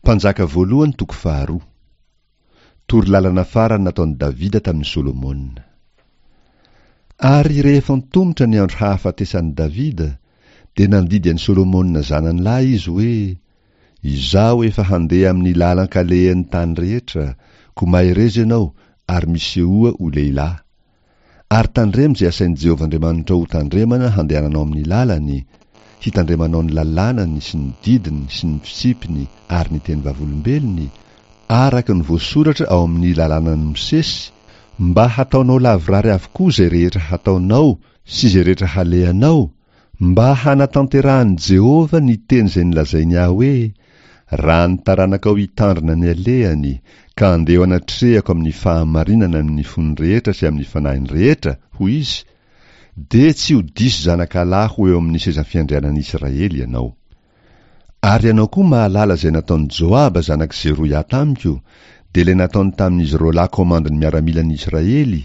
Mpanjaka voalohany toko faharoa. Torolalana farany nataon'i Davida tamin'i Solomona. Ary rehefa antomotra ny andro hahafatesan'i Davida, dia nandidy an'i Solomona zanany lahy izy hoe, Izaho efa handeha amin'ny lalan-kalehan'ny tany rehetra, koa mahereza ianao ary misehoa ho lehilahy. Ary tandremo izay asain'i Jehovah Andriamanitrao hotandremana handehananao amin'ny lalany, hitandremanao ny lalànany sy ny didiny sy ny fitsipiny ary ny teny vavolombelony, araka ny voasoratra ao amin'ny lalànan'i Mosesy, mba hataonao lavorary avokoa izay rehetra hataonao sy izay rehetra halehanao, Mba hanatanterahan'i Jehovah ny teny izay nolazainy ahy hoe, 'Raha ny taranakao hitandrina ny alehany, ka handeha eo anatrehako amin'ny fahamarinana amin'ny fony rehetra sy amin'ny fanahiny rehetra', hoy izy, 'dia tsy ho diso zanakalahy ho eo amin'ny seza fiandrianan'i Israely ianao. Ary ianao koa mahalala izay nataon'i Joaba zanak'i Zeroia tamiko, dia ilay nataony tamin'izy roalahy komandin'ny miaramilan'i Israely,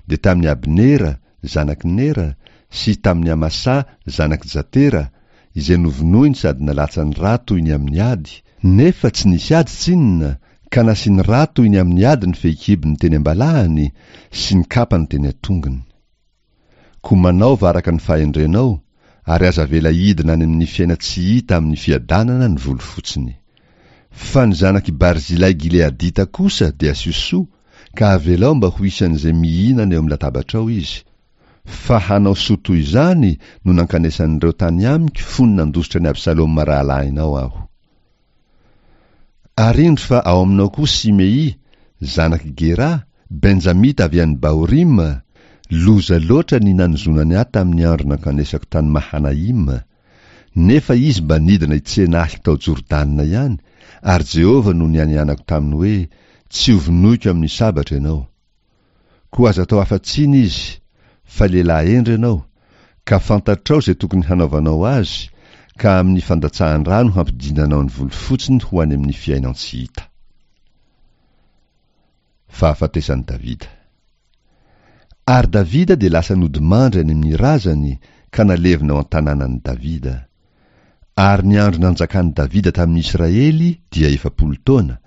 dia tamin'i Abnera, zanak'i Nera, sy tamin'i Amasà, zanak'i Jatera, izay novonoiny sady nalatsany ra toy ny amin'ny ady, nefa tsy nisy ady tsinona, ka nasiany ra toy ny amin'ny ady ny fehikibony teny am-balahany sy ny kapany teny an-tongony. Koa manaova araka ny fahendrenao, ary aza avela hidina any amin'ny fiainan-tsy hita amin'ny fiadanana ny volo fotsiny. Fa ny zanak'i Barzilay Gileadita kosa dia asio soa, ka avelao mba ho isan'izay mihinana eo amin'ny latabatrao izy, fa hanao soa toy izany no nankanesan'ireo tany amiko fony nandositra an'i Absaloma rahalahinao aho. Ary indro fa ao aminao koa Simey, zanak'i Gera, Benjamita avy any Bahorima, loza loatra ny nanozonany ahy tamin'ny andro nankanesako tany Mahanaima, Nefa izy mba nidina hitsena ahy tao Jordana ihany, ary Jehovah no nianianako taminy hoe, Tsy hovonoiko amin'ny sabatra ianao. Koa aza atao afa-tsiny izy, fa lehilahy hendry ianao, ka fantatrao izay tokony hanaovanao azy, ka amin'ny fandatsahan-drà no hampidinanao ny volofotsiny ho any amin'ny fiainan-tsy hita. Fahafatesan'i Davida. Ary Davida dia lasa nodimandry any amin'ny razany ka nalevina ao an-tanànan'i Davida. Ary ny andro nanjakan'i Davida tamin'ny Israely dia 40 taona,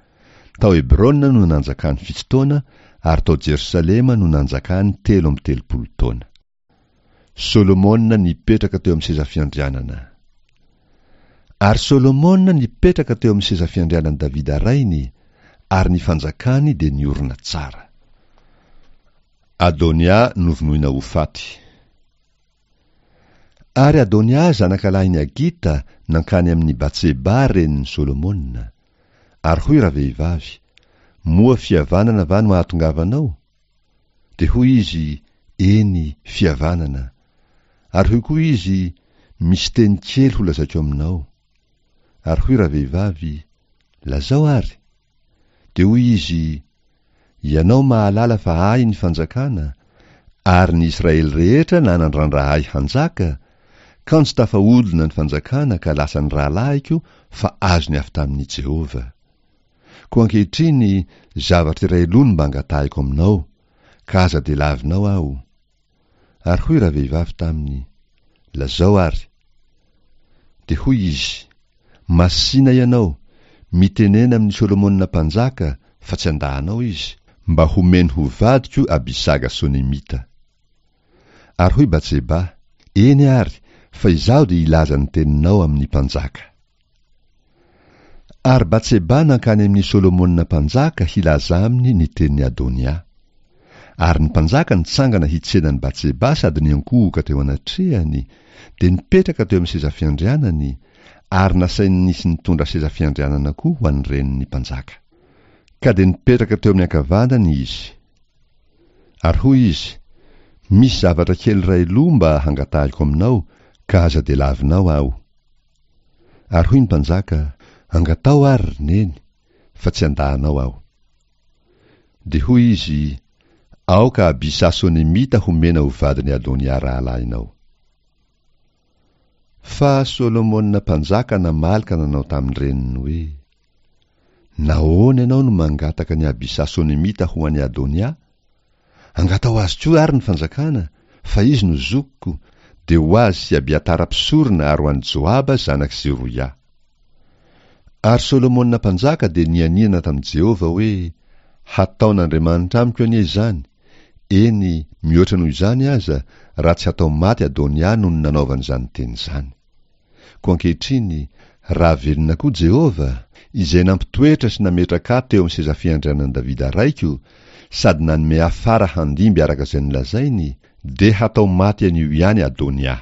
tao Hebrona no nanjakany fito taona, ary tao Jerosalema no nanjakany 33 taona. Solomona nipetraka teo amin'ny seza fiandrianana. Ary Solomona nipetraka teo amin'ny seza fiandrianan'i Davida rainy, ary ny fanjakany dia niorina tsara. Adonia novonoina ho faty. Ary Adonia zanakalahin'i Hagita nankany amin'i Batseba renin'i Solomona. Ary hoy ravehivavy, Moa fihavanana va no ahatongavanao? Dia hoy izy, Eny, fihavanana. Ary hoy koa izy, Misy teny kely holazaiko aminao. Ary hoy ravehivavy, Lazao àry. Dia hoy izy, Ianao mahalala fa ahy ny fanjakana, ary ny Israely rehetra nanandrandra ahy hanjaka, kanjo tafahodina ny fanjakana ka lasan'ny rahalahiko fa azony avy tamin'i Jehovah. Koa ankehitriny zavatra iray loha no mba angatahiko aminao, ka aza dia lavinao aho. Ary hoy ravehivavy taminy, Lazao ary. Dia hoy izy, Masìna ianao, mitenena amin'i Solomona mpanjaka, fa tsy handà anao izy, mba homeny ho vadiko Abisaga Sonemita. Ary hoy Batseba, Eny àry, fa izaho dia hilaza ny teninao amin'ny mpanjaka. Ary Batseba nankany amin'i Solomona mpanjaka hilaza aminy ny tenin'i Adonia. Ary ny mpanjaka nitsangana hitsena an'i Batseba sady niankohoka teo anatrehany, dia nipetraka teo amin'ny seza fiandrianany, ary nasainy nisy nitondra seza fiandrianana koa ho an'ny renin'ny mpanjaka. Ka dia nipetraka teo amin'ny ankavanany izy. Ary hoy izy, Misy zavatra kely iray loha mba hangatahiko aminao, ka aza dia lavinao aho. Ary hoy ny mpanjaka, Angataho àry, ry neny, fa tsy handà anao aho. Dia hoy izy, Aoka Abisà Sonemita homena ho vadin'i Adonia rahalahinao. Fa Solomona mpanjaka namaly ka nanao tamin-dreniny hoe, Nahoana ianao no mangataka an'i Abisà Sonemita ho an'i Adonia? Angataho azy koa àry ny fanjakana, fa izy no zokiko, dia ho azy sy Abiatara mpisorona ary ho an'i Joaba zanak'i Zeroia. Ary Solomona mpanjaka dia nianiana tamin'i Jehovah hoe, Hataon'Andriamanitra amiko anie izany, eny, mihoatra noho izany aza, raha tsy hatao maty Adonia noho ny nanaovany izany teny izany. Koa ankehitriny, raha velona koa Jehovah, izay nampitoetra sy nametraka ahy teo amin'ny seza fiandrianan'i Davida raiko, sady nanome ahy fara handimby araka izay nolazainy, dia hatao maty anio ihany Adonia.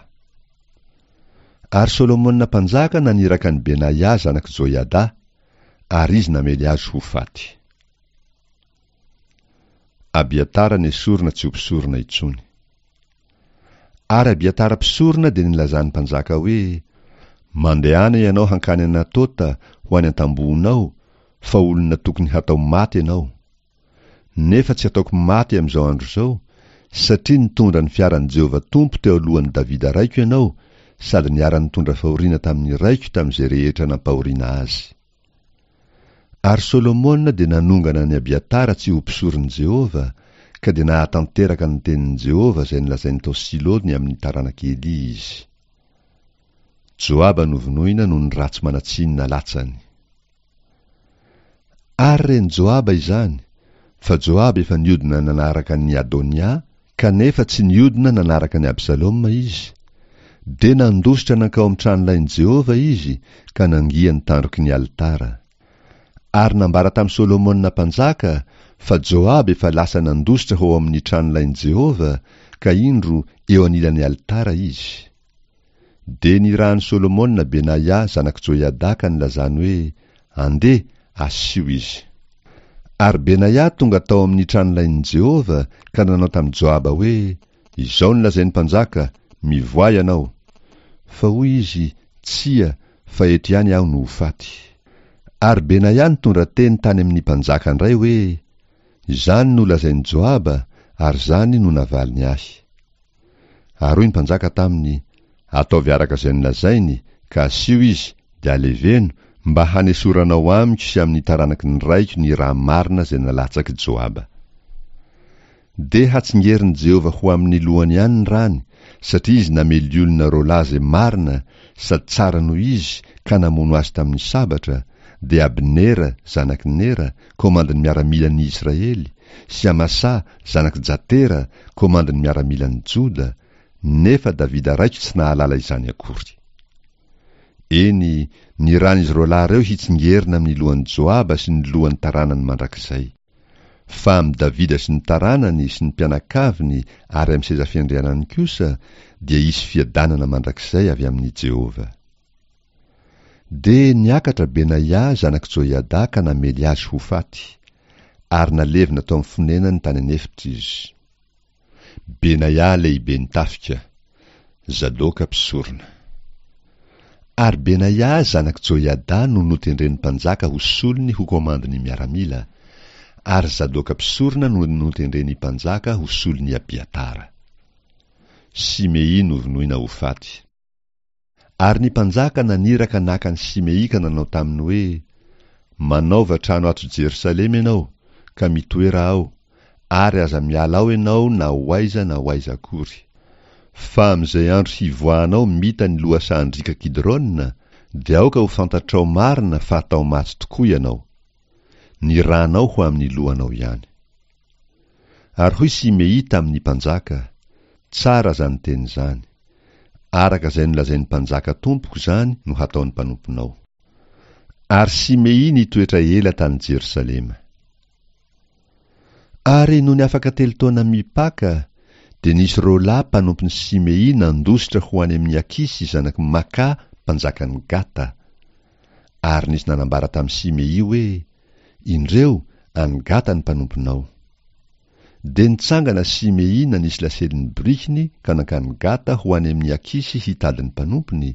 Ary Solomona mpanjaka naniraka an'i Benaia zanak'i Joiada, ary izy namely azy ho faty. Abiatara nesorina tsy ho mpisorona intsony. Ary Abiatara mpisorona dia nilazan'ny mpanjaka hoe, Mandehana ianao hankany Anatota ho any an-tambohonao, fa olona tokony hatao maty ianao. Nefa tsy hataoko maty amin'izao andro izao, satria nitondra ny fiaran'i Jehovah Tompo teo alohan'i Davida raiko ianao, sady niara-nitondra fahoriana tamin'ny raiko tamin'izay rehetra nampahoriana azy. Ary Solomona dia nanongana an'i Abiatara tsy ho mpisoron'i Jehovah, ka dia nahatanteraka ny tenin'i Jehovah izay nolazainy tao Silo ny amin'ny taranak'i Elia izy. Joaba novonoina noho ny ratsy manan-tsiny nalatsany. Ary ren'i Joaba izany, fa Joaba efa niodina nanaraka an'i Adonia, kanefa tsy niodina nanaraka an'i Absaloma izy, dia nandositra nankao amin'ny tranolain'i Jehovah izy ka nangia ny tandroky ny alitara. Ary nambara tamin'i Solomona mpanjaka fa Joaba efa lasa nandositra ho ao amin'ny tranolain'i Jehovah, ka indro, eo anilan'ny alitara izy. Dia nirahan'i Solomona Benaia zanak'i Joiada ka nilazany hoe, Andeha, asio izy. Ary Benaia tonga tao amin'ny tranolain'i Jehovah ka nanao tamin'i Joaba hoe, Izao no lazain'ny mpanjaka, Mivoaha ianao. Fa hoy izy, Tsia, fa eto ihany aho no ho faty. Ary Benaia nitondra teny tany amin'ny mpanjaka indray hoe, Izany no lazain'i Joaba, ary izany no navaliny ahy. Ary hoy ny mpanjaka taminy, Ataovy araka izay nolazainy, ka asio izy, dia aleveno, mba hanesoranao amiko sy amin'ny taranaky ny raiko ny rà marina izay nalatsak'i Joaba. Dia hatsingerin'i Jehovah ho amin'ny lohany ihany ny rany, satria izy namely olona roalahy izay marina sady tsara noho izy ka namono azy tamin'ny sabatra, dia Abnera, zanak'i Nera, komandin'ny miaramilan'ny Israely, sy Amasà, zanak'i Jatera, komandin'ny miaramilan'i Joda, nefa Davida raiko tsy nahalala izany akory. Eny, ny ran'izy roalahy ireo hitsingerina amin'ny lohan'i Joaba sy ny lohan'ny taranany mandrakizay. Fa amin'i Davida sy ny taranany sy ny mpianakaviny ary amin'ny seza fiandrianany kosa dia hisy fiadanana mandrakizay avy amin'i Jehovah. Dia niakatra Benaia zanak'i Joiada ka namely azy ho faty, ary nalevina tao amin'ny fonenany tany an'efitra izy. Benaia lehiben'ny tafika, Zadoka mpisorona. Ary Benaia zanak'i Joiada no notendren'ny mpanjaka ho solony ho komandin'ny miaramila, ary Zadoka mpisorona no notendren'ny mpanjaka ho solon'i Abiatara. Simei novonoina ho faty. Ary ny mpanjaka naniraka naka an'i Simei ka nanao taminy hoe, Manaova trano ato Jerosalema ianao, ka mitoera ao, ary aza miala ao ianao na ho aiza na ho aiza akory. Fa amin'izay andro hivoahanao mita ny lohasahan-driaka Kidrona, dia aoka ho fantatrao marina fa hatao maty tokoa ianao. Ny ranao ho amin'ny lohanao ihany. Ary hoy Simei tamin'ny mpanjaka, Tsara izany teny izany. Araka izay nolazain'ny mpanjaka tompoko izany no hataon'ny mpanomponao. Ary Simei nitoetra ela tany Jerosalema. Ary nony afaka telo taona mipaka, dia nisy roalahy mpanompon'i Simei nandositra ho any amin'i Akisy zanak'i Maka mpanjakan'i Gata. Ary nisy nanambara tamin'i Simei hoe, Indreo, any Gata ny mpanomponao. Dia nitsangana Simei nanisy lasely ny borikiny ka nankany Gata ho any amin'i Akisy hitady ny mpanompony,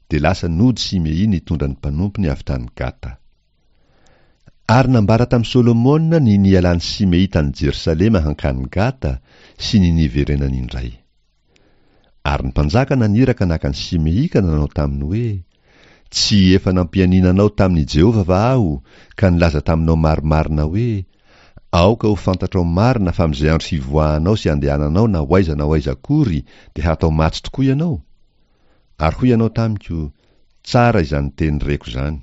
dia lasa nody Simei nitondra ny mpanompony avy tany Gata. Ary nambara tamin'i Solomona ny nialan'i Simei tany Jerosalema hankany Gata sy ny niverenany indray. Ary ny mpanjaka naniraka naka an'i Simei ka nanao taminy hoe, Tsy efa nampianiana anao tamin'i Jehovah va aho, ka nilaza taminao marimarina hoe, Aoka ho fantatrao marina fa amin'izay andro hivoahanao sy handehananao na ho aiza na ho aiza akory dia hatao maty tokoa ianao? Ary hoy ianao tamiko, Tsara izany teny reko izany.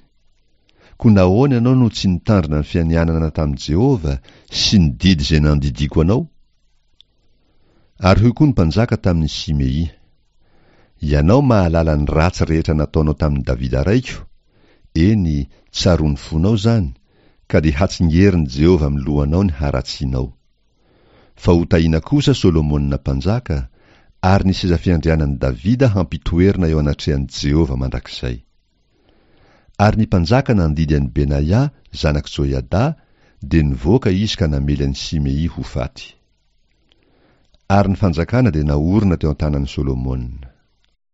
Koa nahoana ianao no tsy nitandrina ny fianianana tamin'i Jehovah sy ny didy izay nandidiako anao? Ary hoy koa ny mpanjaka tamin'i Simey, Ianao mahalala ny ratsy rehetra nataonao tamin'i Davida raiko, eny, tsaroan'ny fonao izany, ka dia hatsingerin'i Jehovah amin'ny lohanao ny haratsianao. Fa hotahiana kosa Solomona mpanjaka, ary ny seza fiandrianan'i Davida hampitoerina eo anatrehan'i Jehovah mandrakizay. Ary ny mpanjaka nandidy an'i Benaia, zanak'i Joiada, dia nivoaka izy ka namely an'i Simey ho faty. Ary ny fanjakana dia naorina teo an-tanan'i Solomona.